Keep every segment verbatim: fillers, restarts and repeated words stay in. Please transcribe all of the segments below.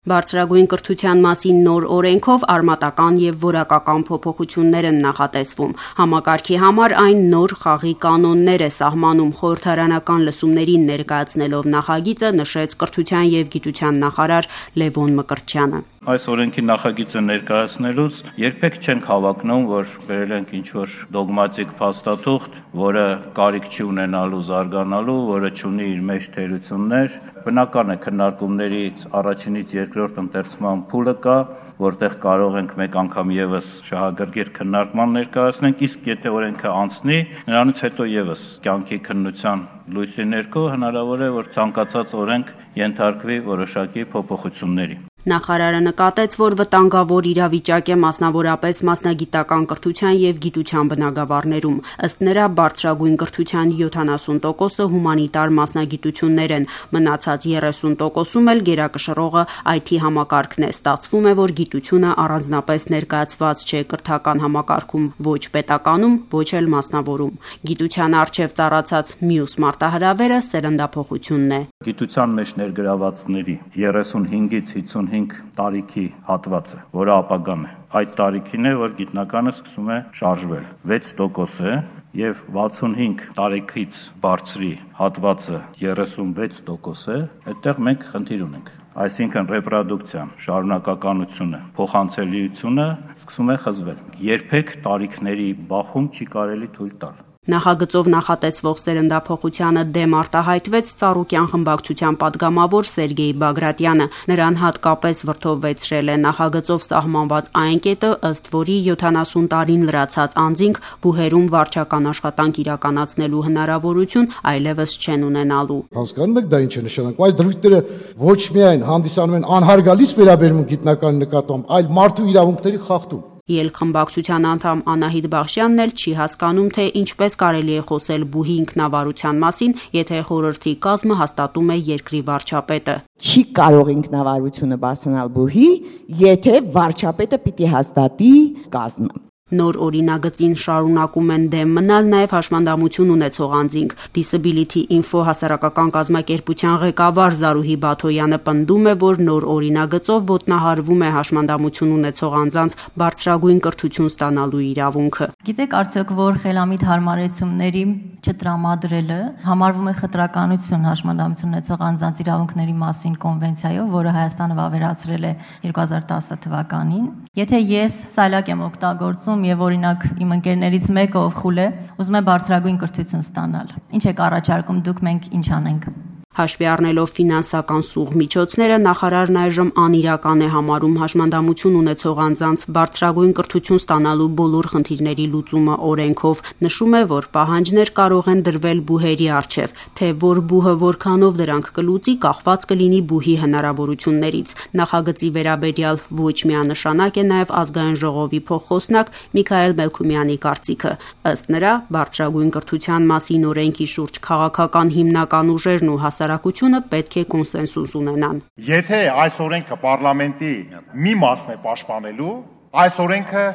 Բարձրագույն կրթության մասին նոր օրենքով արմատական եւ որակական փոփոխություններ են նախատեսվում։ Համակարգի համար այն նոր խաղի կանոններ է սահմանում, խորհրդարանական լսումներին ներկայացնելով նախագիծը նշեց կրթության եւ գիտության նախարար Լևոն Մկրտչյանը։ Այս օրենքի նախագիծը ներկայացնելուց երբեք չենք հավակնում, որ բերել ենք ինչ-որ դոգմատիկ փաստաթուղթ, որը կարիք չի ունենալու զարգանալու, որը չունի իր մեջ թերություններ։ Բնական է քննարկումներից առաջինից երկրորդ ընթերցման փուլը կա, որտեղ կարող ենք մեկ անգամ եւս շահագրգիռ քննարկման ներկայացնենք, իսկ եթե օրենքը անցնի, նրանից հետո եւս կյանքի քննության լույսի ներքո հնարավոր է, որ ցանկացած օրենք ենթարկվի որոշակի փոփոխությունների։ Նախարարը նկատեց, որ վտանգավոր իրավիճակ է մասնավորապես մասնագիտական կրթության եւ գիտության բնագավառներում։ Ըստ նրա, բարձրագույն կրթության յոթանասուն տոկոսը հումանիտար մասնագիտություններ են, մնացած երեսուն տոկոսում էլ գերակշռողը այ թի համակարգն է։ Ստացվում է, որ գիտությունը առանձնապես ներկայացված չէ կրթական համակարգում, ոչ պետականում, ոչ էլ մասնավորում։ Գիտության առջև ծառացած մյուս մարտահրավերը սերնդափոխությունն է։ Գիտության մեջ ներգրավվածների երեսունհինգից հիսունհինգ տարիքի հատվածը, որը ապագան է։ Այդ տարիքին է, որ գիտնականը սկսում է շարժվել։ վեց տոկոս է եւ վաթսունհինգ տարիքից բարձրի հատվածը երեսունվեց տոկոս է, այդտեղ մենք խնդիր ունենք։ Այսինքն ռեպրոդուկցիան, շարունակականությունը, փոխանցելիությունը սկսում է խզվել։ Երբեք տարիքների բախում չի կարելի թույլ տալ։ Նախագծով նախատեսվող սերնդափոխությանը դեմ արտահայտվեց Ծառուկյան խմբակցության падգամավոր Սերգեյ Բագրատյանը։ Նրան հատկապես վրդովվեցրել է նախագծով սահմանված այն կետը, ըստ որի յոթանասուն տարին լրացած անձինք բուհերում վարչական աշխատանք իրականացնելու հնարավորություն այլևս չեն ունենալու։ Հասկանում եք դա ինչ է նշանակում։ Այս դրույթները ոչ միայն հանդիսանում են անհարգալից վերաբերմունք գիտնականի նկատմամբ, այլ մարդու իրավունքների խախտում։ Ելք խմբակցության անդամ Անահիտ Բախշյանն էլ չի հասկանում, թե ինչպես կարելի է խոսել բուհի ինքնավարության մասին, եթե խորհրդի կազմը հաստատում է երկրի վարչապետը։ Չի կարող ինքնավարությունը բարձրանալ բուհի, եթե վարչապետը պիտի հաստատի կազմը։ Նոր օրինագծին շարունակում են դեմ մնալ նաև հաշմանդամություն ունեցող անձինք։ Disability Info հասարակական կազմակերպության ղեկավար Զարուհի Բաթոյանը պնդում է, որ նոր օրինագծով ոտնահարվում է հաշմանդամություն ունեցող անձանց բարձրագույն կրթություն ստանալու իրավունքը։ Գիտեք արդյոք, որ խելամիտ հարմարեցումների չտրամադրելը համարվում է խտրականություն հաշմանդամություն ունեցող անձանց իրավունքների մասին կոնվենցիայով, որը Հայաստանը վավերացրել է երկու հազար տասը թվականին։ Եթե ես սայլակ եմ օգտագործում եւ օրինակ իմ ընկերներից մեկը ով խուլ է, ուզում է բարձրագույն կրթություն ստանալ։ Ինչ եք առաջարկում դուք, մենք ինչ անենք։ Հաշվի առնելով ֆինանսական սուղ միջոցները, նախարարն այժմ անիրական է համարում հաշմանդամություն ունեցող անձանց բարձրագույն կրթություն ստանալու բոլոր խնդիրների լուծումը օրենքով։ Նշում է, որ պահանջներ կարող են դրվել բուհերի առջև, թե որ բուհը որքանով դրանք կլուծի, կախված կլինի բուհի հնարավորություններից։ Նախագծի վերաբերյալ ոչ միանշանակ է նաև ազգային ժողովի փոխխոսնակ Միքայել Մելքումյանի կարծիքը։ Ըստ նրա, բարձրագույն կրթության մասին օրենքի շուրջ քաղաքական հիմնական ուժերն ու հասարակությունը պետք է կոնսենսուս ունենան։ Եթե այս օրենքը պարլամենտի մի մասն է պաշտպանելու, այս օրենքը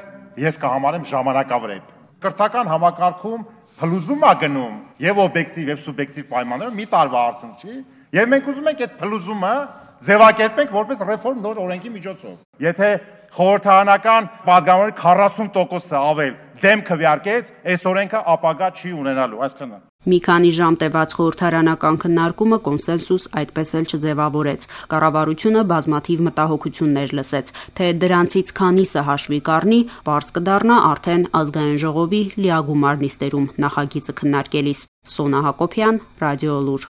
ես կհամարեմ ժամանակավրեպ։ Կրթական համակարգում փլուզում է գնում եւ օբյեկտիվ եւ սուբյեկտիվ պայմաններով մի տարվա արդյունք չի, եւ մենք ուզում ենք այդ փլուզումը ձևակերպենք որպես ռեֆորմ նոր օրենքի միջոցով։ Եթե խորհրդարանական падգամավորի քառասուն տոկոսը ավել դեմ քվեարկեց, այս օրենքը ապագա չի ունենալու, այսքանը։ Մի քանի ժամ տևած խորհրդարանական քննարկումը կոնսենսուս այդպես էլ չձևավորեց։ Կառավարությունը բազմաթիվ մտահոգություններ լսեց, թե դրանցից քանիսը հաշվի կառնի, պարզ կդառնա արդեն ազգային ժողովի լիագումար նիստերում նախագիծը քննարկելիս։ Սոնա Հակոբյան, Ռադիոլուր։